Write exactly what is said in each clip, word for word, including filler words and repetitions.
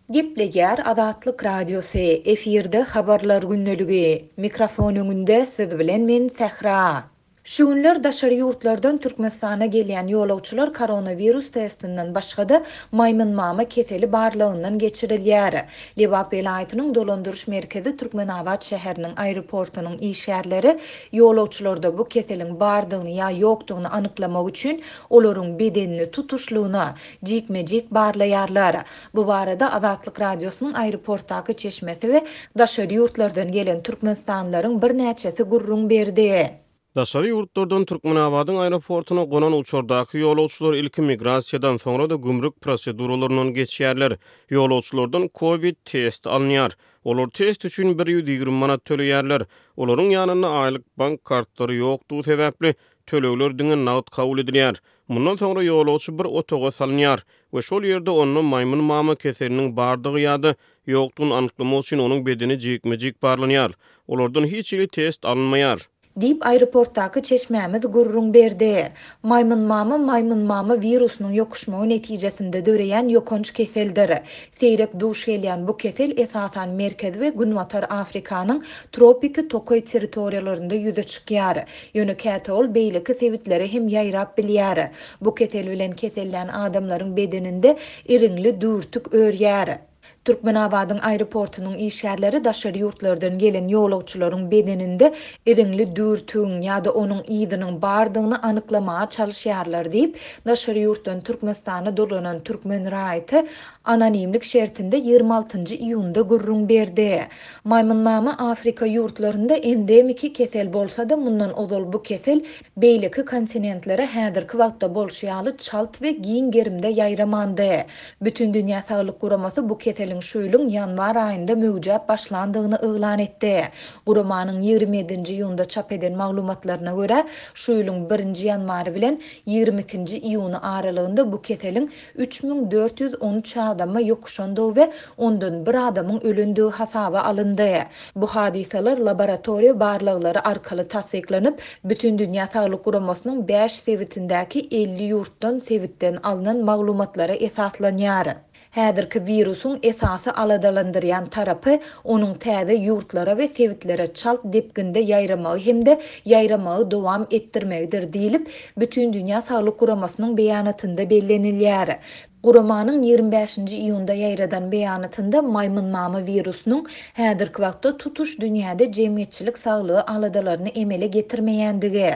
Gepleýär Azatlyk Radiosy, efirde Habarlar gündeligi. Mikrofon öňünde siz bilen men Sähra. Şu günler daşary ýurtlardan Türkmenistana gelýän ýolagçylar koronawirus testinden başga-da maýmynmama keseli barlagyndan geçirilýär. Lebap welaýatynyň dolandyryş merkezi Türkmenabat şäheriniň aeroportunyň işgärleri ýolagçylarda bu keseliň bardygyny ýa ýokdugyny anyklamak üçin olaryň bedenini tutuşlygyna jikme-jik barlaýarlar. Bu barada Azatlyk Radiosynyň aeroportdaky çeşmesi we daşary ýurtlardan gelen türkmenistanlylaryň birnäçesi gürrüň berdi. Daşary ýurtlardan Türkmenabadyň aeroportuna gonan uçardaky ýolagçylar ilki migrasiýadan soňra-da gümrük proseduralaryndan geçýärler. Ýolagçylardan COVID testi alynýar. Olar test üçin bir ýüz ýigrimi manat töleýärler. Olaryň ýanynda aýlyk bank kartlary ýokdugy sebäpli tölegler diňe nagt kabul edilýär. Mundan soňra ýolagçy bir otaga salynýar we şol ýerde onda maýmyn mama keseliniň bardygy ýa-da ýokdugyny anyklamak üçin onuň bedeni jikme-jik barlanýar. Olardan hiç hili test alynmaýar. Diýip, aeroportdaky çeşmämiz gürrüň berdi. Maýmyn mama maýmyn mama wirusynyň ýokuşmagy netijesinde döreýän ýokanç keseldir. Seýrek duş gelýän bu kesel esasan Merkezi we Günbatar Afrikanyň tropiki tokaý territoriýalarynda ýüze çykýar. Ýöne käte ol beýleki sebitlere hem ýaýrap bilýär. Bu kesel bilen kesellän adamlaryň bedeninde iriňli düwürtik örýär. Türkmenabadyň aeroportunyň işgärleri daşary ýurtlardan gelen ýolagçylaryň bedeninde iriňli düwürtigiň ýa-da onuň yzynyň bardygyny anyklamaga çalyşýarlar diýip, daşary ýurtdan Türkmenistana dolanan türkmen raýaty anonimlik şertinde ýigrimi altynjy iýunda gürrüň berdi. Maýmynmama Afrika ýurtlarynda endemiki kesel bolsa-da, mundan ozal bu kesel beýleki kontinentlere häzirki wagtda bolşy ýaly çalt we giň gerimde ýaýramandy. Bütindünýä Saglyk Guramasy bu keseliň şu ýylyň ýanwar aýynda möwjäp başlandygyny yglan etdi. Guramanyň ýigrimi ýedinji iýunda çap eden maglumatlaryna görä, şu ýylyň birinji ýanwary bilen ýigrimi ikinji iýuny aralygynda bu keseliň üç müň dört ýüz on üç adama ýokuşandygy we ondan bir adamyň ölendigi hasaba alyndy. Bu hadysalar laboratoriýa barlaglary arkaly tassyklanyp, Bütindünýä Saglyk Guramasynyň bäş sebitindäki elli ýurtdan sebitden alnan maglumatlara esaslanýar. Häzirki wirusyň esasy aladalandyrýan tarapy onuň täze ýurtlara we sebitlere çalt depginde ýaýramagy hem-de ýaýramagy dowam etdirmegidir diýlip, Bütindünýä Saglyk Guramasynyň beýanatynda bellenilýär. Guramanyň ýigrimi bäşinji iýunda ýaýradan beýanatynda maýmynmama wirusynyň häzirki wagtda tutuş dünýäde jemgyýetçilik saglygy aladalaryny emele getirmeýändigi,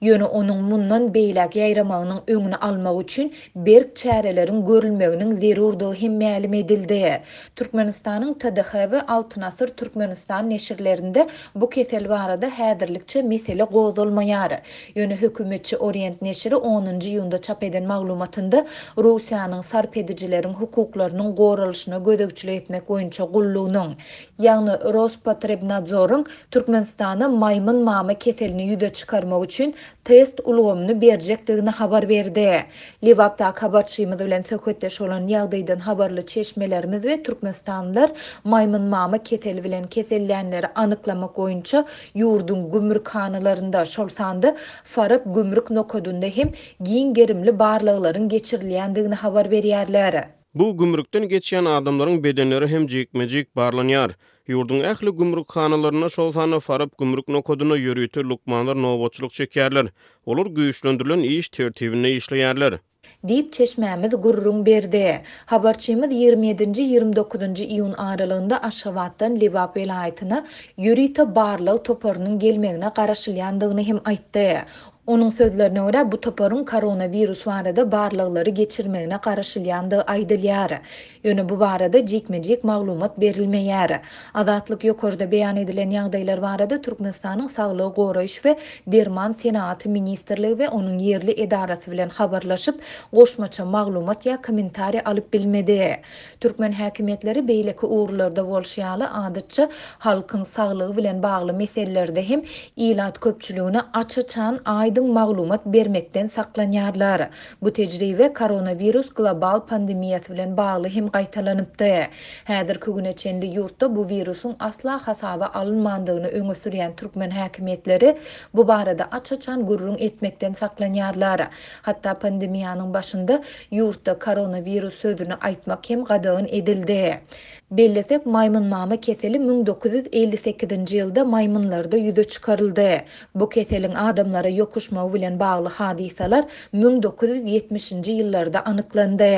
ýöne onuň mundan beýläk ýaýramagynyň öňüni almak üçin berk çäreleriň görülmeginiň zerurdygy hem mälim edildi. Türkmenistanyň T D H we Altyn Asyr Türkmenistan neşirlerinde bu kesel barada häzirlikçe mesele gozgalmaýar. Ýöne hökümetçi Orient neşiri onunjy iýunda çap eden maglumatynda Russiýanyň sarp edijileriň hukuklarynyň goralyşyna gözegçilik etmek boýunça gullugynyň, ýagny Rospotrebnadzoryň Türkmenistana maýmyn mama keselini ýüze çykarmak üçin test ulgamyny berjekdigini habar berdi. Lebapdaky habarçymyz bilen söhbetdeş bolan ýagdaýdan habarly çeşmelerimiz we türkmenistanlylar maýmyn mama keseli bilen kesellänleri anyklamak boýunça ýurduň gümrükhanalarynda, şol sanda Farap gümrük nokadynda hem giň gerimli barlaglaryň geçirilýändigini habar berýärler. Bu gümrükden geçýän adamlaryň bedenleri hem jikme-jik barlanýar. Ýurduň ähli gümrükhanalarynda, şol sanda Farap gümrük nokadynda ýörite lukmanlar nobatçylyk çekýärler. Olar güýçlendirilen iş tertibinde işleýärler. Diýip çeşmämiz gürrüň berdi. Habarçymyz ýigrimi ýedinji, ýigrimi dokuzynjy iýun aralygynda Aşgabatdan Lebap welaýatyna ýörite barlag toparynyň gelmegine garaşylýandygyny hem aýtdy. Onuň sözlerine görä, bu toparyň koronawirus barada barlaglary geçirmegine garaşylýandygy aýdylýar. Ýöne bu barada jikme-jik maglumat berilmeýär. Azatlyk ýokarda beýan edilen ýagdaýlar barada Türkmenistanyň Saglygy goraýyş we Derman senagaty ministrligi we onuň ýerli edarasy bilen habarlaşyp, goşmaça maglumat ýa kommentariýa alyp bilmedi. Türkmen häkimiýetleri beýleki ugurlarda bolşy ýaly adatça halkyň saglygy bilen bagly meselelerde hem ilat köpçüligine aç-açan aýdyň maglumat bermekden saklanýarlar. Bu tejribe koronawirus global pandemiýasy bilen bagly hem gaýtalanypdy. Häzirki güne çenli ýurtda bu wirusyň asla hasaba alynmandygyny öňe sürýän türkmen häkimiýetleri bu barada aç-açan gürrüň etmekden saklanýarlar. Hatda pandemiýanyň başynda ýurtda koronawirus sözüni aýtmak hem gadagan edildi. Bellesek, maýmynmama keseli müň dokuz ýüz elli sekizinji ýylda maýmynlarda ýüze çykaryldy. Bu keseliň adamlara ýokuşmagy bilen bagly hadysalar müň dokuz ýüz ýetmişinji ýyllarda anyklandy.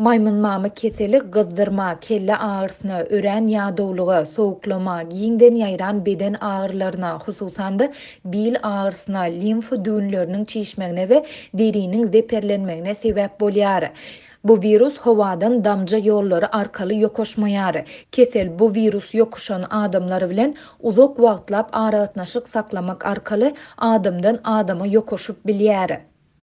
Maýmynmama keseli gyzdyrma, kelle agyrysyna, örän ýadawlyga, sowuklama, giňden ýaýran beden agyrylaryna, hususan-da bil agyrysyna, limfa düwünleriniň çişmegine we deriniň zeperlenmegine sebäp bolýar. Bu wirus howadan damja ýollary arkaly ýokaşmaýar. Kesel bu wirus ýokuşan adamlar bilen uzak wagtlap aragatnaşyk saklamak arkaly adamdan adama ýokaşyp bilýär.